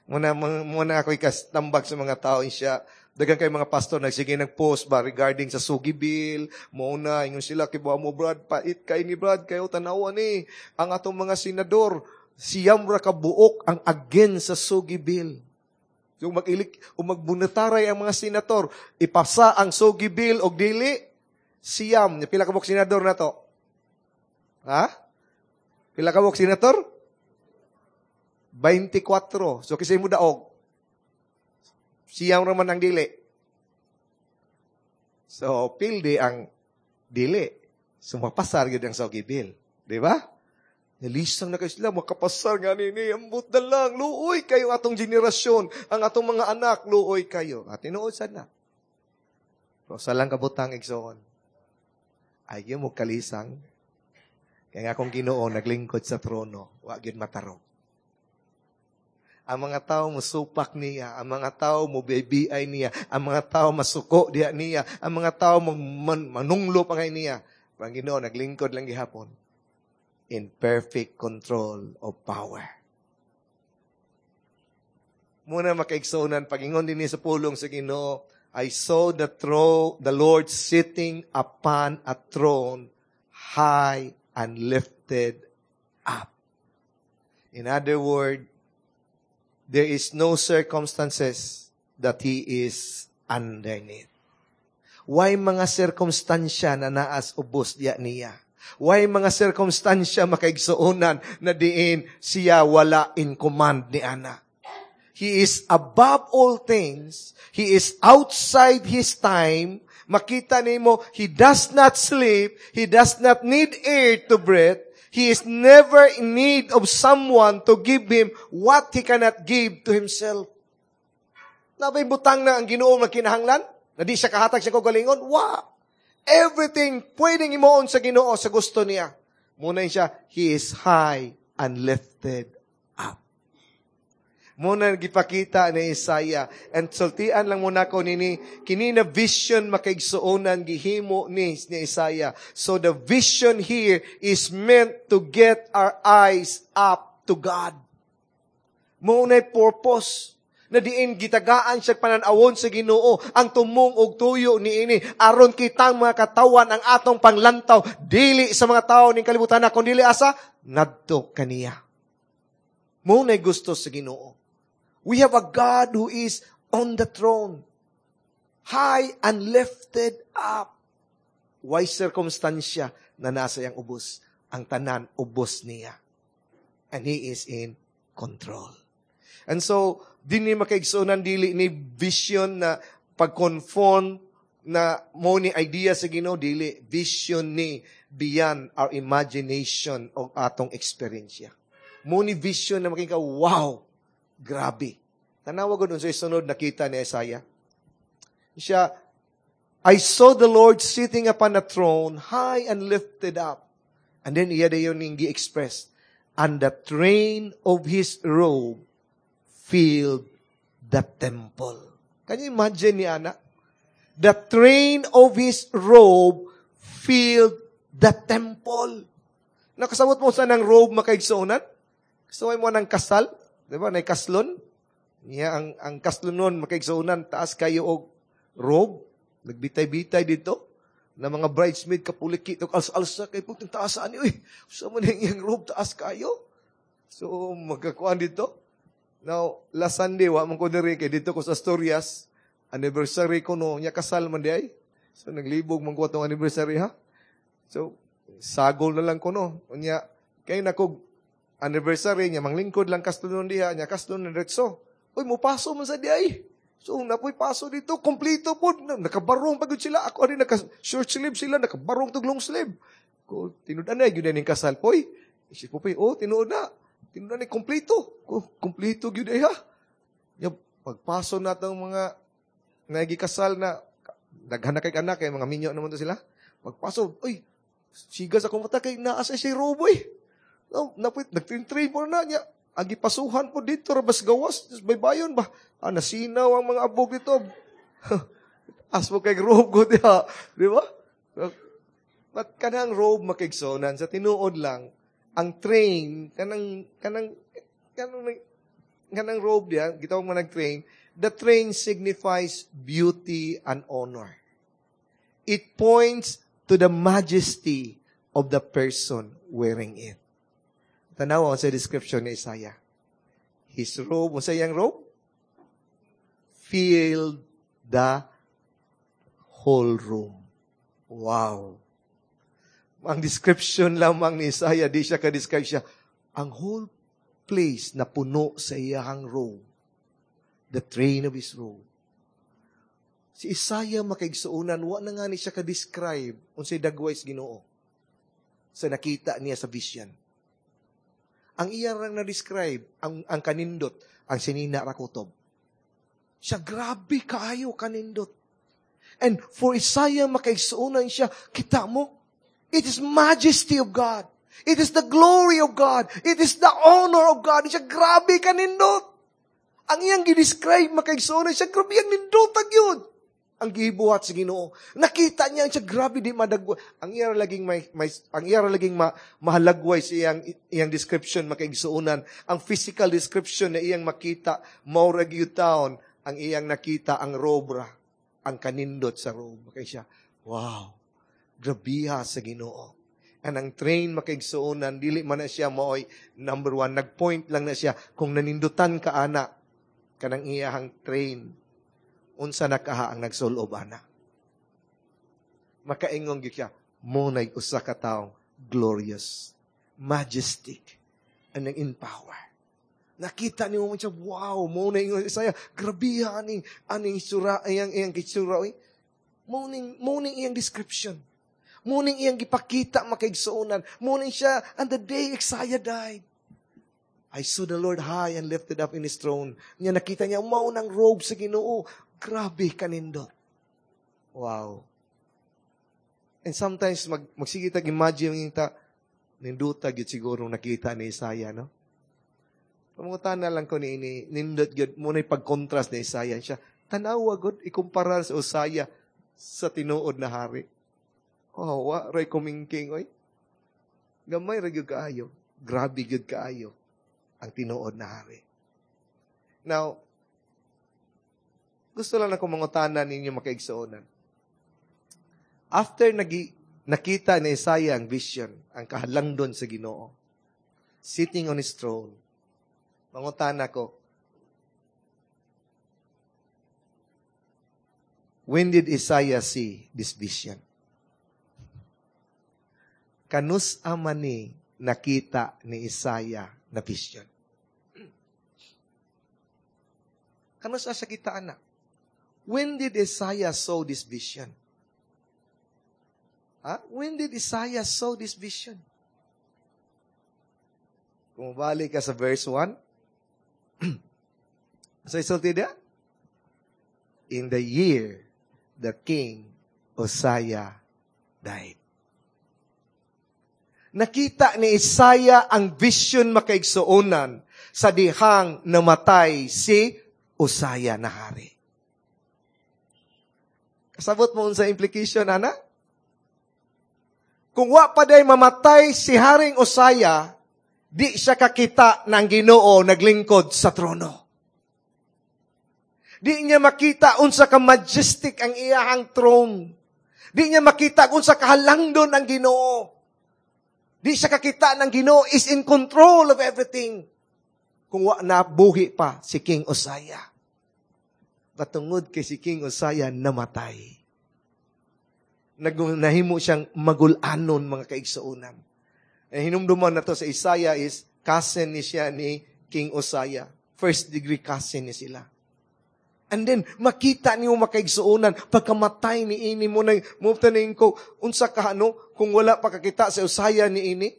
Muna muna ako ikastambag sa mga tao siya. Dagan kay mga pastor nagsige nag-post ba regarding sa Sugi Bill, mo na ingon sila kay mo Brad, pait kay ni Brad kayo tanawa ni ang atong mga senador siyam ra ka buok ang against sa Sugi Bill. So mag-ilik o magbunataray ang mga senator, ipasa ang Sugi Bill og dili siyam. Pila ka buok senador na to? Ha? Pila ka buok senator? twenty-four. So kasi mo daog. Siyam raman ang dili. So, pildi ang dili. So, mapasar yun ang Sugi Bill. Di ba? Nalisang na kayo sila, makapasar nga nini, ambot na lang, luoy kayo atong generasyon, ang atong mga anak, luoy kayo. At tinuod sad na. Pero sa lang kabutang igsoon, ay yun mo kalisang, kaya nga akong Ginoo naglingkod sa trono, wa gyud matarog. Ang mga tao musupak niya, ang mga tao mo B B I niya, ang mga tao masuko diha niya, ang mga tao man, manunglo pa ngay niya. Pero ang Ginoo naglingkod lang gihapon in perfect control of power. Muna makaigsuonan, pagingon din sa pulong sa Ginoo, "I saw the throne, the Lord sitting upon a throne, high and lifted up." In other words, there is no circumstances that He is underneath. Why mga sirkumstansya na naas ubos diya niya? Why mga sirkumstansya makaigsuonan na diin siya wala in command ni ana? He is above all things. He is outside His time. Makita nimo, He does not sleep. He does not need air to breathe. He is never in need of someone to give him what he cannot give to himself. Nabay butang na ang Ginoo magkinahanglan? Na di siya kahatag sa kagalingon? Wa! Everything pwedeng himuon sa Ginoo sa gusto niya. Muna siya, He is high and lifted up. Muna gipakita ni Isaiah. And sultian lang muna ko nini, kini na vision makaigsuonan gihimo ni, ni Isaiah. So the vision here is meant to get our eyes up to God. Mao na purpose na diin gitagaan siya pananawon sa Ginoo ang tumong og tuyo niini aron kitang mga katawan ang atong panglantaw dili sa mga tawo ning kalibutan na kundi asa ngadto kaniya. Mao na gusto sa Ginoo. We have a God who is on the throne, high and lifted up. Why circumstansya na nasa iyang ubos? Ang tanan ubos niya. And He is in control. And so, dinhi makaigsuonan dili ni vision na pag-conform na mo ni idea sa Ginoo dili vision ni beyond our imagination o atong eksperyensya. Mo ni vision na makita, wow, grabe. Tanawa ko dun sa sunod nakita ni Isaiah. Siya, "I saw the Lord sitting upon a throne, high and lifted up." And then iya dayon ning gi-express, "And the train of His robe filled the temple." Can you imagine ni ana? The train of His robe filled the temple. Nakasabot mo sa ng robe makaigsuonan? Gusto mo ng kasal? Di ba? Nay kaslon? Niya, ang, ang kaslon nun, makaigsuonan, taas kayo og robe. Nagbitay-bitay dito na mga bridesmaid kapuliki ito als-alsa kay putang taas ani uy sa man iyang robe taas kayo, so magkakuan dito. Now last Sunday wa man ko diri kay dito ko sa Asturias, anniversary ko no nya kasal man di ay, so naglibog man ko atong anniversary ha, so sagol na lang ko no unya kay nako anniversary nya manglingkod lang kaslon diha nya kaslon na diretso uy mo paso man sa di ay. So, napoy paso dito, kompleto po. Nakabarong pagod sila. Ako rin, naka short sleeve sila, nakabarong tug long sleeve. Ko, tinud na, yun na kasal, poy. Isip po, oh, tinuod na. Tingnan ni kompleto. Kompleto gyud ay ha. Ya, pagpaso na itong mga nagikasal na daghan na kay anak kay mga minyo naman to sila. Pagpaso, uy, siga sa akong mata kay naa sa siya robe eh. No, napit nagtrain po na niya. Agi pasuhan po dito rabas gawas, baybayon ba? Ah, nasinaw ang mga abog dito. As mo kay robe ko diha, di ba? But kanang robe makaigsuonan sa tinuod lang, ang train kanang kanang kanang kanang robe diha, gitawag mo nag train, the train signifies beauty and honor. It points to the majesty of the person wearing it. Tanawa sa description ni Isaiah. His robe, unsa iyang robe? Filled the whole room. Wow. Ang description lamang ni Isaiah, di siya ka-describe siya. Ang whole place na puno sa iyang robe. The train of his robe. Si Isaiah makaigsuonan, wa na nga ni siya ka-describe unsay dagway sa Ginoo sa nakita niya sa vision. Ang iya rang na-describe, ang, ang kanindot, ang sinina ra kutob. Siya grabe kaayo kanindot. And for Isaiah makaigsuonan siya, kita mo, it is majesty of God. It is the glory of God. It is the honor of God. Siya grabe kanindot. Ang iyang gi-describe makaigsuonan siya, grabe ang nindotag yun. Ang gibuhat sa Ginoo. Nakita niya siya grabe di madagway. Ang iya laging may, may ang iya laging ma, mahalagway sa iyang iyang description makaigsuonan. Ang physical description na iyang makita mao ra gyud taon ang iyang nakita ang robra, ang kanindot sa robe. Kay siya, wow, grabiha sa Ginoo. And ang train makaigsuonan, dili man na siya maoy number one. Nagpoint lang na siya, kung nanindutan ka ana, kanang iyahang train, unsa na kaha ang nagsulob ana. Makaingon gyud siya, mao na'y usa ka taong glorious, majestic, and in power. Nakita niyo mo siya, wow, mao na ingon Isaiah, grabe aning aning sura iyang iyang kitsura oy. Mao ning mao ning iyang description. Mao ning iyang gipakita makaigsuonan. Mao ning siya, and the day Isaiah died, I saw the Lord high and lifted up in His throne. Niya nakita niya, mao nang robe sa Ginoo. Grabe kanindot. Wow. And sometimes, mag, magsige tag imagine ta, ninduta gyud siguro nakita ni Isaiah, no? Pamungutana lang ko ni ini, nindot gyud mao na'y pag-contrast ni Isaiah siya. Tanawa gud ikumpara sa Uzziah sa tinuod na hari. Oh, wa ray kumingking oy. Gamay ra gyud kaayo. Grabe gyud kaayo ang tinuod na hari. Now, gusto lang ako mangutana ninyo makaigsuonan. After nagi, nakita ni Isaiah ang vision, ang kahalangdon sa Ginoo, sitting on his throne, mangutana ko, when did Isaiah see this vision? Kanus ama ni nakita ni Isaiah na vision? Kanus asa kita anak? When did Isaiah saw this vision? Huh? When did Isaiah saw this vision? Kung balik ka sa verse one, sa isulti niya? In the year the king Uzziah died. Nakita ni Isaiah ang vision makaigsuonan sa dihang namatay si Uzziah na hari. Kasabot mo sa implication, ana? Kung wa pa day mamatay si Haring Uzziah, di siya kakita ng Ginoo naglingkod sa trono. Di niya makita unsa ka majestic ang iyahang throne. Di niya makita unsa kahalangdon ang Ginoo. Di siya kakita ng Ginoo is in control of everything. Kung wa na buhi pa si King Uzziah. Patungod kay si King Uzziah namatay. Nahimo siyang magulanon mga kaigsuonan. Eh, hinumduman na to sa Isaiah is cousin ni siya ni King Uzziah. First degree cousin ni sila. And then, makita niyo makaigsuonan, pagkamatay ni ini mo na, mo tanin ko, unsa ka ano, kung wala pa kakita sa Uzziah ni ini,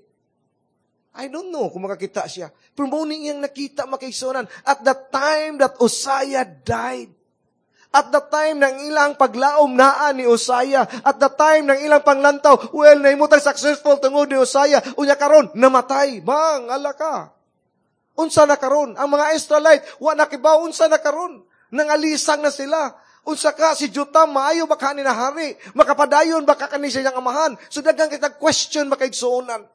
I don't know kung makakita siya. Pero mao ning iyang nakita, mga kaigsuonan, at the time that Uzziah died, at the time ng ilang paglaom naa ni Uzziah, at the time ng ilang panglantaw, well, nahimutang successful tungod ni Uzziah, unya karon namatay. Bang, ala ka. Unsa na karon? Ang mga Israelite, wa na kibaw, unsa na karon? Nangalisang na sila. Unsa ka si Jotam, maayo ba ka ni nahari? Makapadayon ba ka kani sa iyang amahan? So daghan kitag question, makaigsuonan.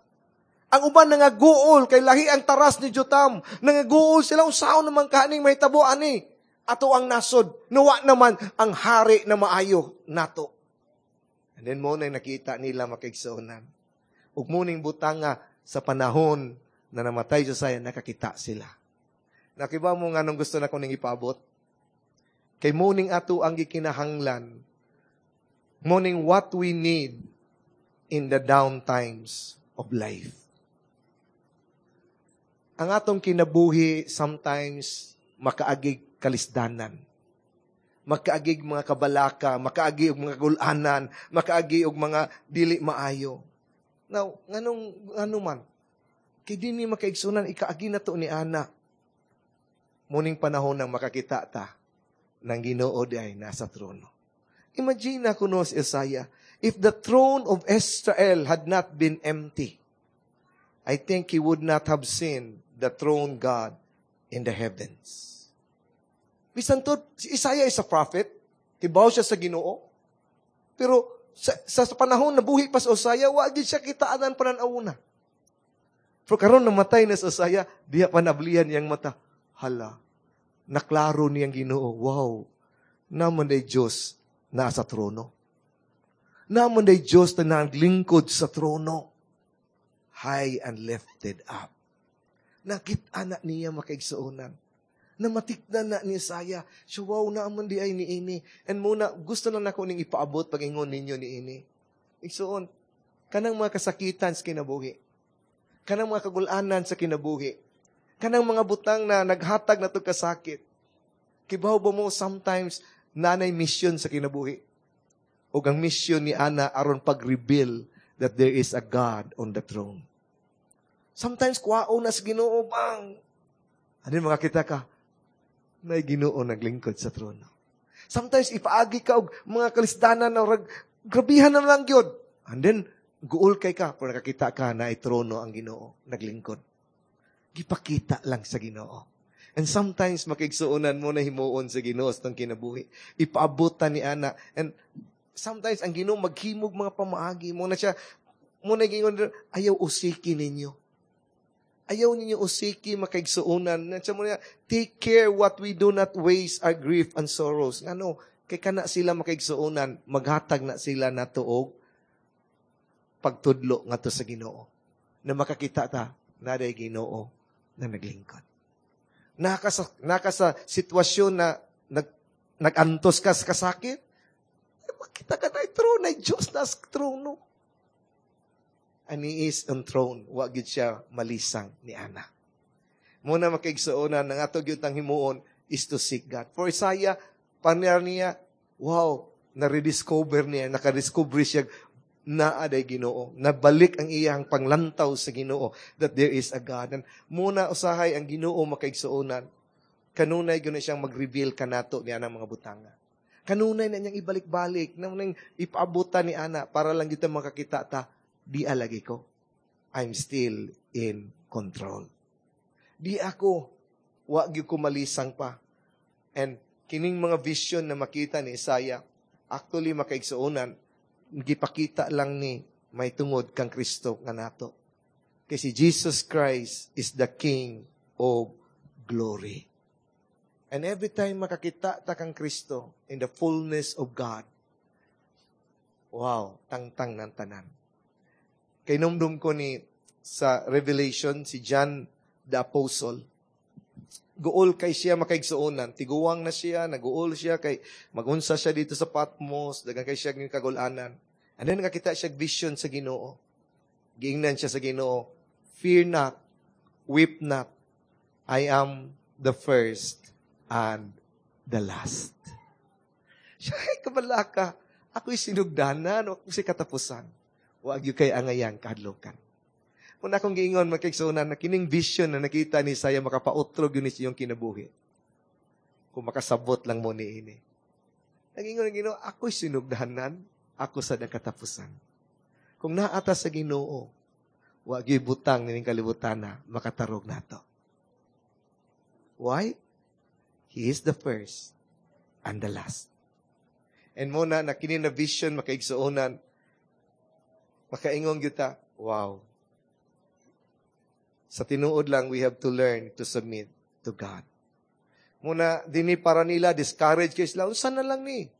Ang uban nangaguol kay lahi ang taras ni Jotam. Nangaguol sila, unsaon naman kaning mahitabo ani? Ato ang nasod, nuwa naman ang hari na maayo nato. And then mao na nakita nila, makaigsuonan. Ug mao ning butanga sa panahon na namatay si Uzziah, nakakita sila. Nakibaw mo nga nung gusto na ko ning ipaabot? Kay mao ning ato ang gikinahanglan. Mao ning what we need in the down times of life. Ang atong kinabuhi sometimes makaagig kalisdanan. Makaagig mga kabalaka, makaagi og mga gulanan, makaagi og mga dili maayo. Now, nganong ano man, kay dinhi, makaigsuonan, ikaagi na to ni ana. Mao ning panahon nang makakita ta ng Ginoo di ay nasa trono. Imagine na kuno si Isaiah, if the throne of Israel had not been empty, I think he would not have seen the throne God in the heavens. Bisan to, si Isaiah is a prophet. Kibaw siya sa Ginoo. Pero sa, sa, sa panahon na buhi pa sa Uzziah, wa gid siya kitaanan panan-awuna. Pero karon namatay na sa Uzziah, diha pa nablihan niyang mata. Hala, naklaro niyang Ginoo. Wow, naa man day Diyos nasa trono. Naa man day Diyos na naglingkod sa trono. High and lifted up. Nakita na niya, makaigsuonan. Namatikdan na ni Isaiah. So, wow, naa man di ay ni ini. And muna, gusto lang nako ning ipaabot pag-ingon ninyo ni ini. Igsuon, kanang mga kasakitan sa kinabuhi. Kanang mga kagulanan sa kinabuhi. Kanang mga butang na naghatag na kasakit. Kibaw ba mo sometimes naa nay mission sa kinabuhi? O ang mission ni Ana aron pag-reveal that there is a God on the throne. Sometimes kuwaon na sa Ginoo bang. Ano makakita ka? May Ginoo naglingkod sa trono. Sometimes ipaagi ka og mga kalisdanan na rag, grabihan na lang gyud. And then guol kay ka pero nakakita ka na ay trono ang Ginoo naglingkod. Gipakita lang sa Ginoo. And sometimes makaigsuonan, mao na himuon sa Ginoo sa kinabuhi. Ipaabutan ni ana. And sometimes ang Ginoo maghimog mga pamaagi mao na siya mao na gingon, ayaw usiki ninyo. Ayaw ninyo usiki, makaigsuonan. Siya mao na, take care what we do not waste our grief and sorrows. Ngano, kay kana sila, makaigsuonan, maghatag na sila nato og pagtudlo ngadto sa Ginoo. Na makakita ta, naa day Ginoo na naglingkod. Naka sa, naka sa sitwasyon na nag, nag-antos ka sa kasakit, eh, makita ka na trono, na Diyos na sa trono. And He is on throne. Wa gyud siya malisang ni Ana. Mao na, makaigsuonan, ang ato gyud ang himuon is to seek God. For Isaiah, panir niya, wow, na-rediscover niya, naka-discover siya naa day Ginoo. Nabalik ang iyang panglantaw sa Ginoo that there is a God. And mao na usahay ang Ginoo, makaigsuonan. Kanunay gyud na siyang mag-reveal kanato niya ng mga butanga. Kanunay na niyang ibalik-balik, na nang ipaabutan ni ana para lang kita makakita ta, di alagi ko. I'm still in control. Di ako, wa gyud ko malisang pa. And kining mga vision na makita ni Isaiah, actually, makaigsuonan, gipakita lang ni may tungod kang Kristo nga nato. Kasi Jesus Christ is the King of glory. And every time makakita ta kang Kristo in the fullness of God, wow, tangtang ng tanan. Kay numdum ko ni sa Revelation, si John the Apostle, guol kay siya, makaigsuonan. Tiguwang na siya, naguol siya kay magunsa siya dito sa Patmos, dagan kay siya ng kagulanan. And then nakakita siya vision sa Ginoo. Giingnan siya sa Ginoo, "Fear not, weep not. I am the first and the last." Siya ay kabalaka. Ako'y sinugdanan, ako si katapusan. Wa gyud kay angayang kahadlukan. Kung akong giingon makaigsuonan na kining vision na nakita ni Isaiah makapautro gyud ni sa iyong kinabuhi. Kung makasabot lang mo niini. Nagingon ang Ginoo, ako'y sinugdanan, ako sa katapusan. Kung naa ta sa Ginoo, wa gyud butang nining kalibutan na makatarog nato. Why? He is the first and the last. And mao na, na kini na vision makaigsuonan, makaingon gyud ta, wow. Sa tinuod lang, we have to learn to submit to God. Mao na, dinhi para nila, discourage kay sila, unsa na lang ni?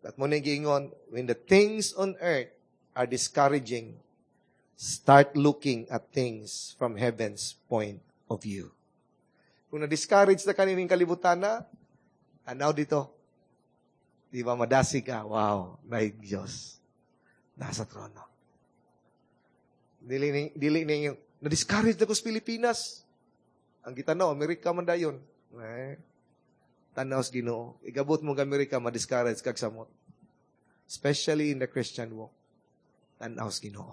At mao na giingon, when the things on earth are discouraging, start looking at things from heaven's point of view. Kung na-discourage na kanining kalibutan na, tanaw dito, di ba, madasig ka, wow, may Diyos. Nasa trono. Dili, ni, dili ninyo, na-discourage na ko sa Pilipinas. Ang gitanaw, Amerika man dayon. Eh, tanaw sa Ginoo. Igabot mo ng Amerika, ma-discourage kag samot. Especially in the Christian walk. Tanaw sa Ginoo.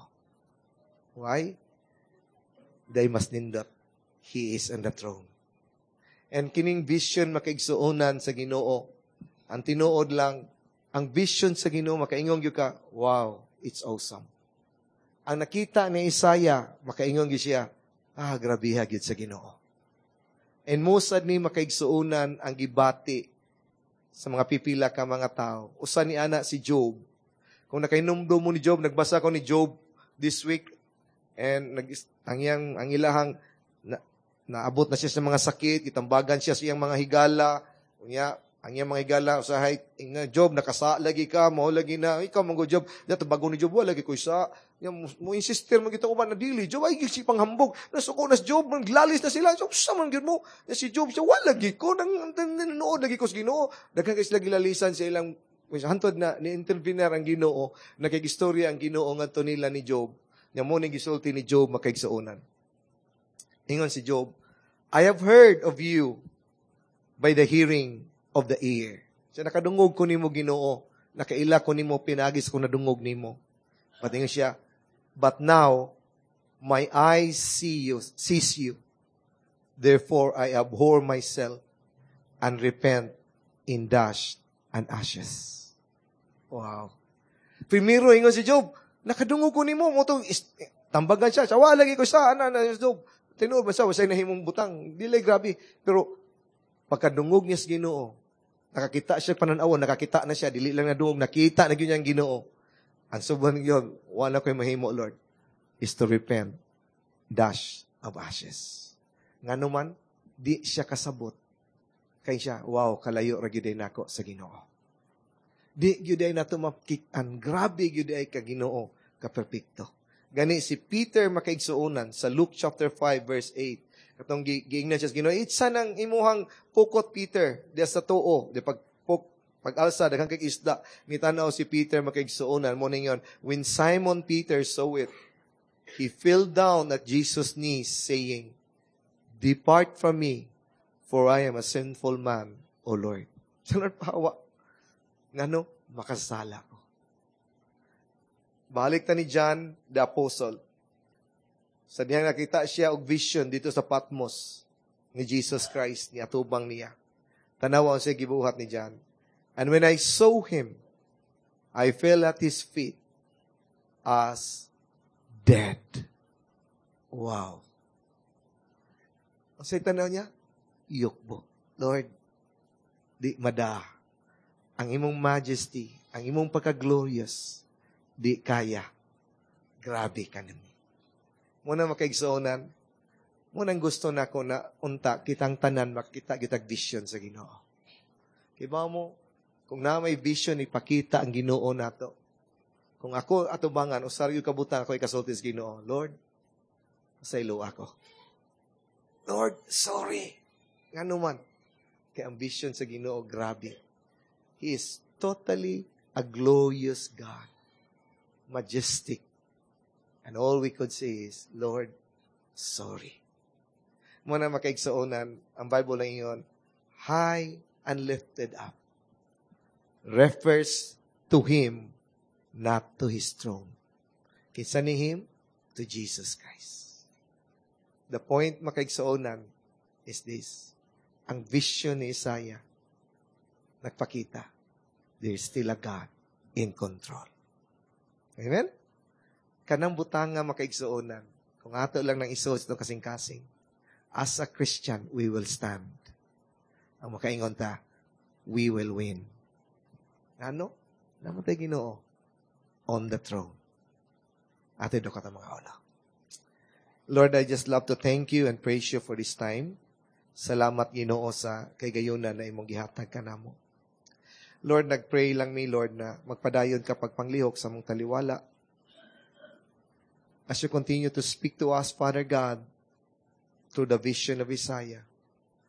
Why? They must nindot. He is on the throne. And kining vision makaigsuonan sa Ginoo. Ang tinuod lang, ang vision sa Ginoo makaingon gyud ka, wow, it's awesome. Ang nakita ni Isaiah, makaingon gyud siya, ah, grabiha gyud sa Ginoo. And mosad ni makaigsuonan ang gibati sa mga pipila ka mga tao. Usa ni ana si Job. Kung nakainumdum mo ni Job, nagbasa ko ni Job this week and nag ang iyang ang ilahang na, naabot na siya sa mga sakit, gitambagan siya sa iyang mga higala. Unya, ang iyang mga higala usahay nga Job nakasa lagi ka, mao lagi na ikaw man Job, dato bago ni Job wala lagi ko isa. Nya mo, mo insister mo kita uban na dili Job ay si panghambog. Nasuko na si Job, maglalis na sila. So sa man gyud mo. Na si Job siya wala lagi ko nang nanood lagi ko sa Ginoo. Daghan kay sila gilalisan sa ilang hantod na ni intervener ang Ginoo, nakigistorya ang Ginoo ngadto nila ni Job. Nya mao ni gisulti ni Job makaigsuonan. Ingon si Job, I have heard of you by the hearing of the ear. So nakadungog ko nimo Ginoo, nakaila ko nimo pinagis ko nadungog nimo. But ingon siya, but now my eyes see you, sees you. Therefore I abhor myself and repent in dust and ashes. Wow. Primero ingon si Job, nakadungog ko nimo mao to tambagan siya. Sa wala lagi ko sa ana na Job. Tinuod ba sa wasay nahimong butang. Dili grabe. Pero pagkadungog niya sa Ginoo, nakakita siya pananaw, nakakita na siya, dili lang nadungog, nakita na gyud niya ang Ginoo. Ang suban yun, wala ko'y mahimo, Lord, is to repent, dash of ashes. Ngano man, di siya kasabot. Kay siya, wow, kalayo ra gyud nako sa Ginoo. Di gyud ay nato makit-an, grabe gyud ay ka Ginoo, ka perpekto. Gani si Peter makaigsuonan sa Luke chapter five verse eight. Katong gi, giingnan siya sa Ginoo, itsa nang imuhang pukot Peter, diya sa tuo, di pag puk, pag-alsa daghang kay isda, nitanaw si Peter makaigsuonan mao ningon, when Simon Peter saw it, he fell down at Jesus' knees saying, Depart from me, for I am a sinful man, O Lord. Sa Lord pahawa. Ngano, makasala ko. Balik ta ni John the Apostle. Sa dihang nakita siya og vision dito sa Patmos ni Jesus Christ, ni atubang niya. Tanawa siya gibuhat ni John. And when I saw him, I fell at his feet as dead. Wow. Ang sa tanaw niya, yukbo. Lord, di mada. Ang imong majesty, ang imong pagka-glorious, di kaya. Grabe ka nami. Muna makaigsuonan, munang gusto na ko na unta kitang tanan makita kitag vision sa Ginoo. Kibaw mo, kung na may vision, ipakita ang Ginoo nato. Kung ako atubangan, usar yung kabutan ako ikasulti sa Ginoo, Lord, pasaylo ako. Lord, sorry. Ngano man. Kay ang vision sa Ginoo, grabe. He is totally a glorious God. Majestic. And all we could say is, Lord, sorry. Muna makaigsuonan, ang Bible lang iyon, high and lifted up, refers to Him, not to His throne. Kinsa ni Him? To Jesus Christ. The point, makaigsuonan, is this. Ang vision ni Isaiah, nagpakita, there is still a God in control. Amen? Kanang butanga, makaigsuonan, kung ato lang nang isuod sa kasing-kasing, as a Christian, we will stand. Ang makaingon ta, we will win. Ano? Naa man tay Ginoo on the throne. Ato dukot ang mga ulo. Lord, I just love to thank you and praise you for this time. Salamat, Ginoo, sa kahigayunan na imong gihatag kanamo. Lord, nagpray lang mi, Lord, na magpadayon ka pagpanglihok sa among taliwala. As you continue to speak to us, Father God, through the vision of Isaiah.